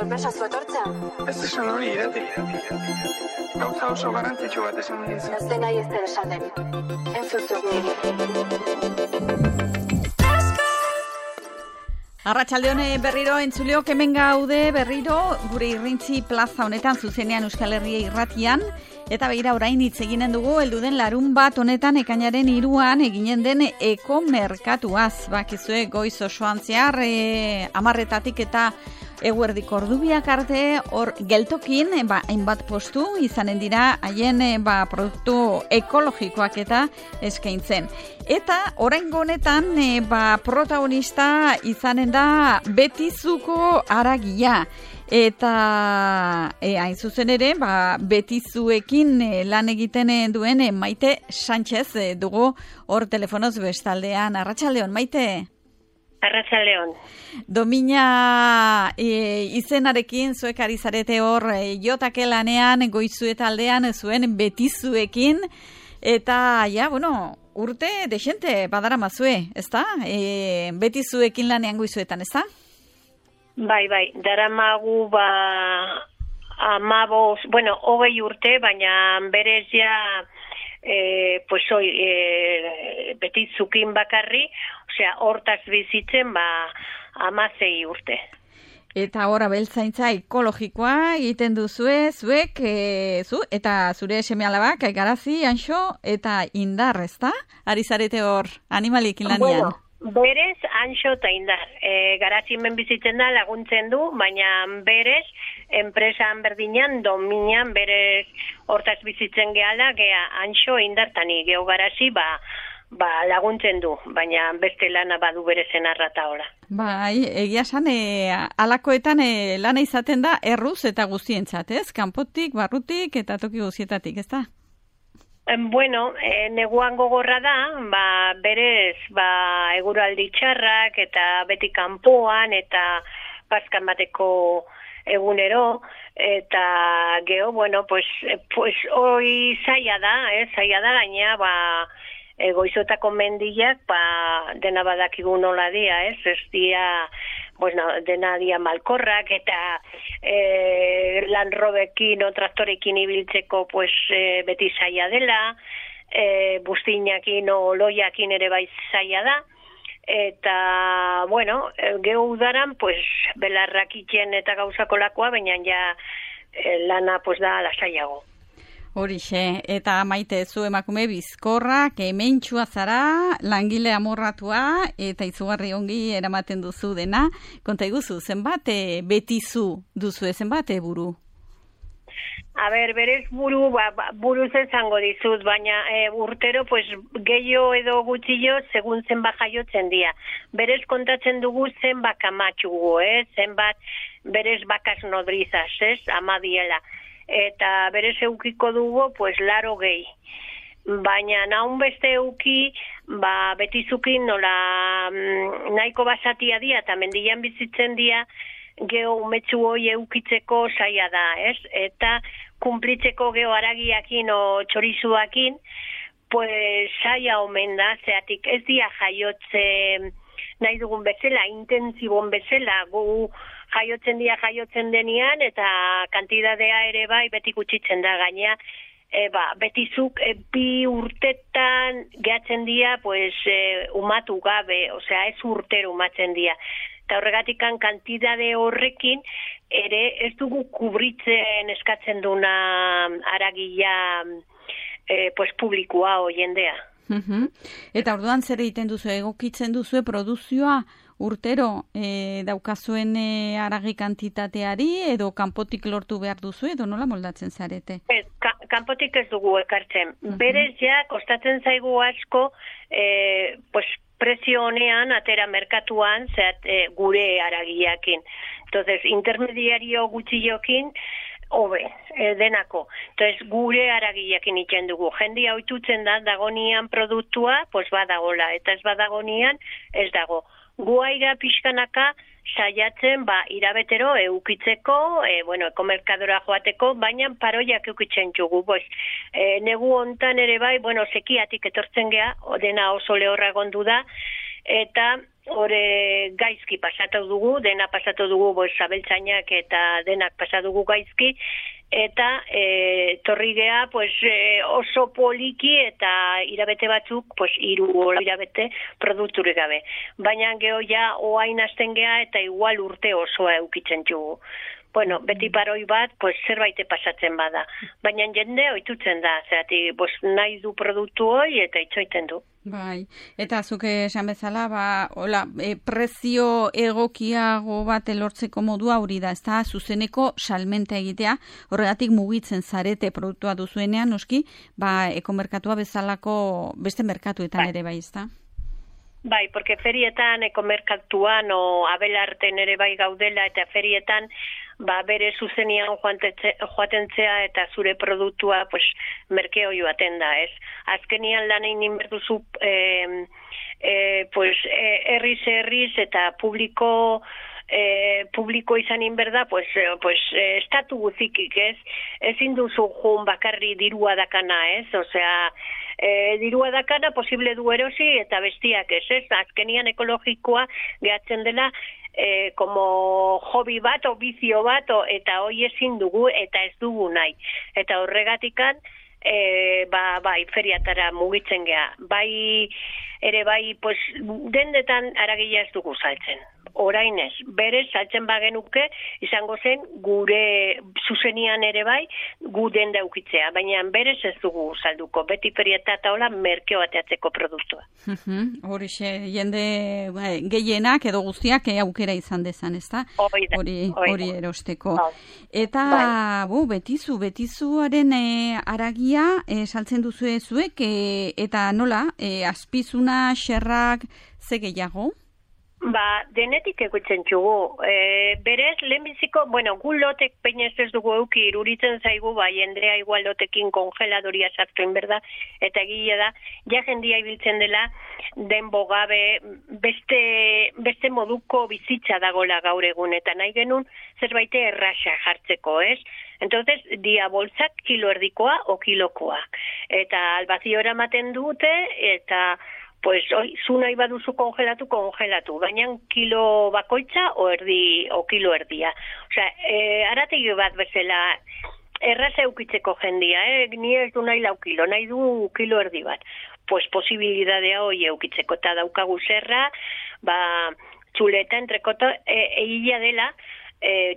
sorpresa zu etortzea. Ez esan hori irati. Gauza oso garrantzitsu bat esan dizu. Ez dena ez den esaten. Entzuzuk niri. Arratsalde hone berriro entzuleok hemen gaude berriro gure Irrintzi plaza honetan zuzenean Euskal Herria irratian. Eta begira orain hitz eginen dugu heldu den larunbat honetan ekainaren 3an eginen den ekomerkatuaz. Bakizue goiz osoan zehar 10:00 eta eguerdiko ordubiak arte hor geltokin hainbat postu izanen dira haien produktu ekologikoak eta eskaintzen. Eta oraingo honetan protagonista izanen da Betizuko haragia. Eta hain zuzen ere, Betizuekin lan egiten duen Maite Sánchez dugu hor telefonoz bestaldean. Arratsaldeon, Maite? Arratsaldeon. Domina izenarekin zuek ari zarete hor jotake lanean goizueta aldean zuen Betizuekin. Eta, urte desente badaramazue, ezta? Betizuekin lanean goizuetan, ezta? Bai, daramagu 20 urte, baina berez ja Betizukin bakarri, osea, hortaz bizitzen 16 urte. Eta hor abeltzaintza ekologikoa egiten duzue, zuek, eta zure seme-alabak, Garazi, Anxo eta Indar, ezta? Ari zarete hor animaliekin lanean. Berez, Anxo eta Indar. Garazi hemen bizitzen da, laguntzen du, baina berez, enpresan berdinan, Dominan berez hortaz bizitzen gehala, Anxo, Indar eta ni, geho Garazi, laguntzen du, baina beste lana badu berezen arrata hola. Bai, egia esan, alakoetan lana izaten da erruz eta guztientzat, ez? Kanpotik, barrutik eta toki guztietatik, ez da? Neguan gogorra da, berez, eguraldi txarrak eta beti kanpoan eta paskan bateko egunero, eta geho, hoi zaila da, gaina, goizotako mendiak, dena badakigu nola dia, ez dia, dena dia malkorrak, eta landrobekin o traktorekin ibiltzeko, beti zaila dela, bustinakin o loiakin ere bai zaila da, eta, geho udaran, belarrak itxen eta gauzako lakoa, baina ja lana, da lasaiago. Horixe, eta Maite, zu emakume bizkorra, kementxua zara, langile amorratua, eta izugarri ongi eramaten duzu dena. Konta iguzu, zenbat Betizu duzu, zenbat buru? Berez buruz esango dizut, baina urtero gehiago edo gutxillo segun zenbat jaiotzen dira. Berez kontatzen dugu zenbat kamatxugu, zenbat berez bakas nodrizaz, amadiela. Eta berez eukiko dugu, 80. Baina naun beste euki, Betizukin nola nahiko basatia dia, eta mendian bizitzen dia, geho umetxu hoi eukitzeko zaila da, ez? Eta kumplitzeko geho haragiakin o txorizuakin, zaila omen da, zeatik ez dia jaiotze nahi dugun bezala, intensibon bezala, gu jaiotzen denian, eta kantidadea ere bai beti gutxitzen da gaina, Betizuk 2 urtetan gehatzen dira, umatu gabe, osea ez urtero umatzen dira. Eta horregatik kantidade horrekin, ere ez dugu kubritzen eskatzen duna haragia publikoa o jendea. Eta orduan zer egiten duzu, egokitzen duzu produzioa urtero daukazuen haragi kantitateari edo kanpotik lortu behar duzu edo nola moldatzen zarete? Kanpotik ez dugu ekartzen. Berez ja, kostatzen zaigu asko, prezio honean atera merkatuan gure haragiakin. Entonces, intermediario gutxillokin, hobe, denako. Entonces, gure haragiakin itzen dugu. Jendia ohitutzen da, dagonian produktua, badagola, eta ez badagonian, ez dago. Guaiga pixkanaka saiatzen irabetero eukitzeko, ekomerkadora joateko, baina paroiak eukitzen jugu. Negu hontan ere bai, sekiatik etortzen gea, dena oso lehorra gondu da, eta hori gaizki pasatu dugu, dena pasatu dugu, abeltzainak eta denak pasatu dugu gaizki, eta torri gea oso poliki eta irabete batzuk, 3 irabete produkturik gabe. Baina geho ja oain hasten gea eta igual urte osoa eukitzen dugu. Bueno, beti paroi bat, zerbait pasatzen bada. Baina jende ohitutzen da, zerati, nahi du produktu hori eta itxoiten du. Bai, eta zuk esan bezala, prezio egokiago bat elortzeko modua hori da, ezta zuzeneko salmenta egitea, horregatik mugitzen zarete produktua duzuenean, noski, ekomerkatua bezalako beste merkatuetan ere bai, ezta? Bai, porque ferietan, ekomerkatuan, abelarten ere bai gaudela, eta ferietan, bere zuzenian joatentzea eta zure produktua merkeo joaten da, ez? Azkenian lan egin berduzu herriz eta publiko izan inberda, estatu guzikik, ez? Ezin duzu jun bakarri dirua dakana, ez? Osea, dirua dakana posible du erosi eta bestiak, ez? Azkenian ekologikoa gehatzen dela como hobby bat o bizio bat eta hoi ezin dugu eta ez dugu nahi. Eta horregatikan feriatara mugitzen gea. Ere dendetan aragia ez dugu saltzen. Orain ez, berez saltzen bagenuke izango zen gure zuzenian ere gu denda ukitzea, baina berez ez dugu salduko, beti feriata eta hola merkeo ateatzeko produktua. Horixe, jende gehienak edo guztiak aukera izan dezan, ezta? Hori erosteko. Eta betizuaren aragia saltzen duzue zuek, eta nola, azpizuna, xerrak, ze gehiago? Denetik egutzen txugu. Berez, lehenbiziko, gu lotek peinez ez dugu euki iruritzen zaigu, jendea igual lotekin kongeladoria sartu inberda, eta egia da, ja jendia ibiltzen dela, denbo gabe, beste moduko bizitza dagola gaur egun, eta nahi genuen zerbait erraxa jartzeko, ez? Entonces, dia boltzak kilo erdikoa o kilokoa. Eta albaziora ematen dute, eta zu nahi baduzu kongelatu, baina kilo bakoitza o kilo erdia. Osea, arategi bat bezala erraza eukitzeko jendia, ni ez du nahi 4 kilo, nahi du kilo erdi bat. Posibilidadea hoi eukitzeko, eta daukagu zerra, txuleta entrekota, egila dela,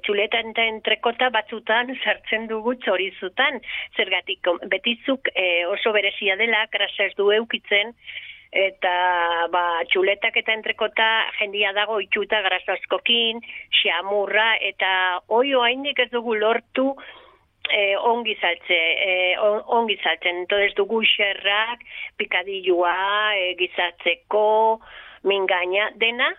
txuleta entrekota batzutan sartzen dugu txorizutan, zergatik betizuk oso berezia dela, grasa ez du eukitzen, eta txuletak eta entrekota jendia dago itxuta grasazkokin, xamurra, eta oaindik ez dugu lortu ongi saltzen. Entonces dugu xerrak, pikadilloa, gizatzeko, mingaina, dena,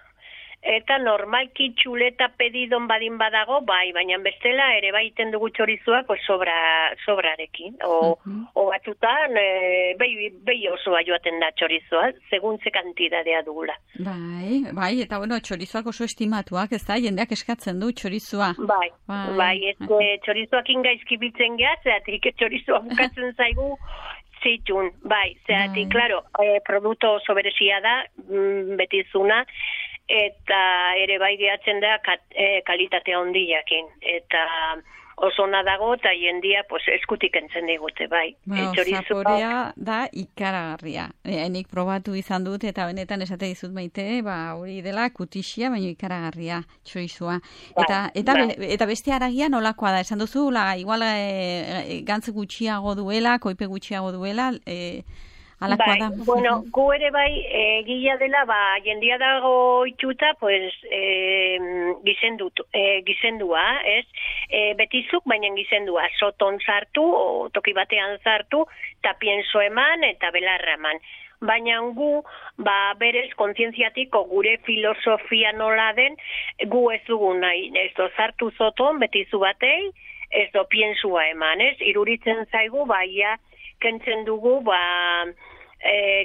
eta normalki txuleta pedidon badin badago, baina bestela ere baiten dugu txorizuak sobrarekin. O batzutan, behi osoa joaten da txorizua, segun ze kantidadea dugula. Bai, eta txorizuak oso estimatuak, ez da, jendeak eskatzen du txorizua. Txorizuak ingaizki bitzen geha, zeratik txorizua bukatzen zaigu, zitun, zeratik, klaro, produktu oso berezia da, betizuna, eta ere gehatzen da kalitatea hondiakin. Eta oso ona dago eta jendia eskutik entzen digute, Zaporea da ikaragarria. Nik probatu izan dut eta benetan esate dizut Maite, hori dela kutixia, baina ikaragarria txorizua. Eta beste aragia nolakoa da? Esan duzu, igual gantz gutxiago duela, koipe gutxiago duela, gu ere gila dela, jendia dago itxuta, gizendua, ez? Betizuk, baina gizendua, soton sartu, toki batean sartu, eta pienso eman, eta belarra eman. Baina gu, berez, kontzientziatiko gure filosofia nola den, gu ez dugu nahi, ez do sartu soton, betizu batei, ez do piensua eman, ez? Iruritzen zaigu, kentzen dugu,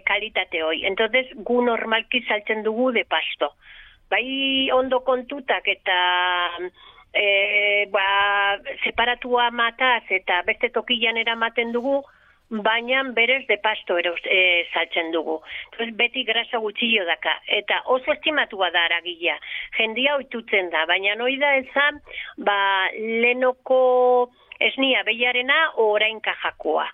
kalitate hoi. Entonces, gu normalki saltzen dugu de pasto. Ondo kontutak eta separatua mataz eta beste tokian eramaten dugu, baina berez de pasto saltzen dugu. Entonces, beti grasa gutxillo daka. Eta oso estimatua da aragila. Jendia oitutzen da, baina noi da ezan, lehenoko esnia behiarena orain kajakoa.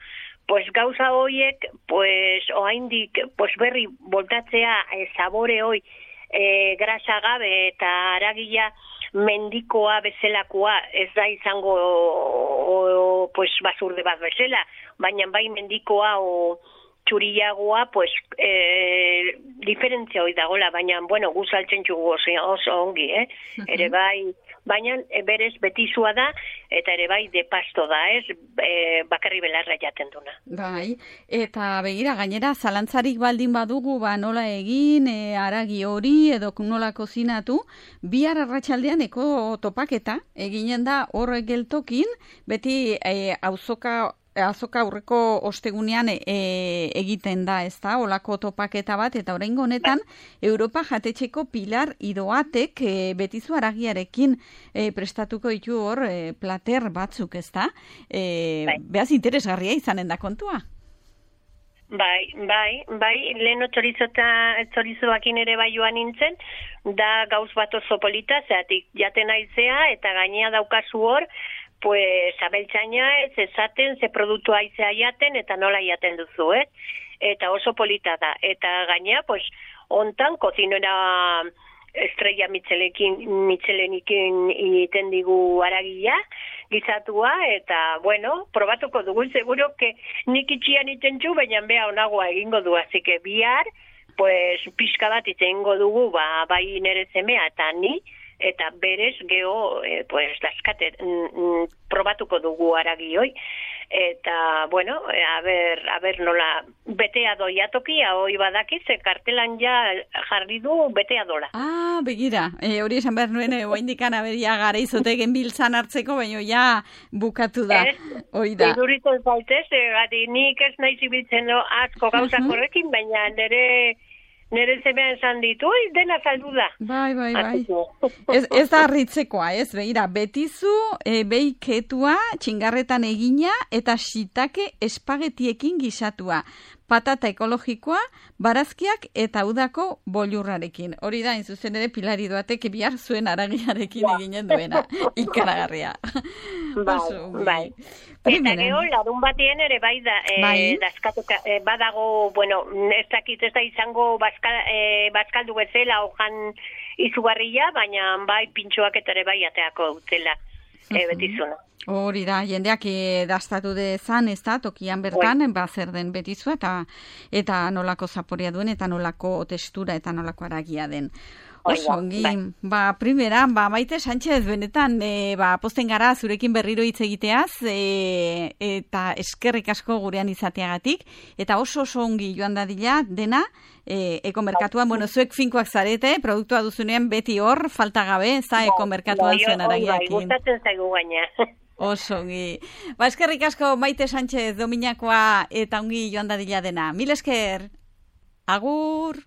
Pues gauza hoiek, pues oraindik pues berri voltatzea sabore hoi grasa gabe eta aragila mendikoa bezelakoa ez da izango pues basurde bat bezala, baina bai mendikoa o txuriagoa pues diferentzia hoi dagola, baina bueno, gu saltzen txugu oso ongi, ere bai, baina berez betizua da eta ere bai de pasto da, bakarri belarra jaten duna. Bai, eta begira gainera zalantzarik baldin badugu nola egin, aragi hori edo nola kozinatu, bihar arratsaldean eko topaketa eginen da horrek geltokin, beti azoka aurreko ostegunean egiten da, ez da, olako topaketa bat, eta oraingo honetan Europa jatetxeko Pilar Idoatek betizu aragiarekin prestatuko ditu hor plater batzuk, ez da? Beaz interesgarria izanen da kontua? Bai, leheno txorizoakin ere bai joan nintzen, da gauz bat oso polita, zeatik jaten aizea, eta gainea daukazu hor, pues abeltzaina ez esaten, ze produktu aizea jaten, eta nola jaten duzu, eta oso polita da. Eta gainea, pues, ontan, kozinera estrella Michelenikin egiten digu aragila, gizatua, eta, bueno, probatuko dugu, seguro que nik itxian iten txu, baina beha onagoa egingo du, así que bihar, pues, pixka bat itengo dugu, bai nere semea eta ni, eta berez geho, pues, daskate, probatuko dugu aragi hoi, eta, bueno, a ber nola, betea doia tokia, hoi badakiz, kartelan ja jarri du betea dola. Begira, hori esan behar nuen, oaindikan aberia gara izotegen biltzan hartzeko, baina ja bukatu da, hori da. Idurito zaitez, gati nik ez nahi zibiltzen asko gauzak horrekin, baina nere zemean esan ditu, dena saldu da. Bai. Ez da harritzekoa, ez, begira, betizu, beiketua, txingarretan egina, eta shiitake espagetiekin gisatua. Patata ekologikoa, barazkiak eta udako bollurrarekin. Hori da, zuzen ere, Pilar Idoatek bihar zuen aragiarekin eginen duena. Ikaragarria. Bai. Eta geho, larun batien ere bai da, badago, bueno, ez da izango bazkaldu bezala ojan izugarria, baina bai pintxoak eta ere bai ateako dutela betizuna. Hori da, jendeak dastatu dezan, ez da, tokian bertan, zer den betizua, eta nolako zaporea duen, eta nolako testura, eta nolako aragia den. Oso, ongi, primera, Maite Sánchez, benetan, posten gara zurekin berriro hitz egiteaz, eta eskerrik asko gurean izateagatik, eta oso ongi joan dadila dena, ekomerkatuan, bueno, zuek finkoak zarete, produktua duzunean beti hor, falta gabe, ez da, ekomerkatuan zuen aragiakin. Gustatzen zaigu gaina. Oso ongi. Eskerrik asko Maite Sánchez, Dominakoa, eta ongi joan dadila dena. Mil esker. Agur.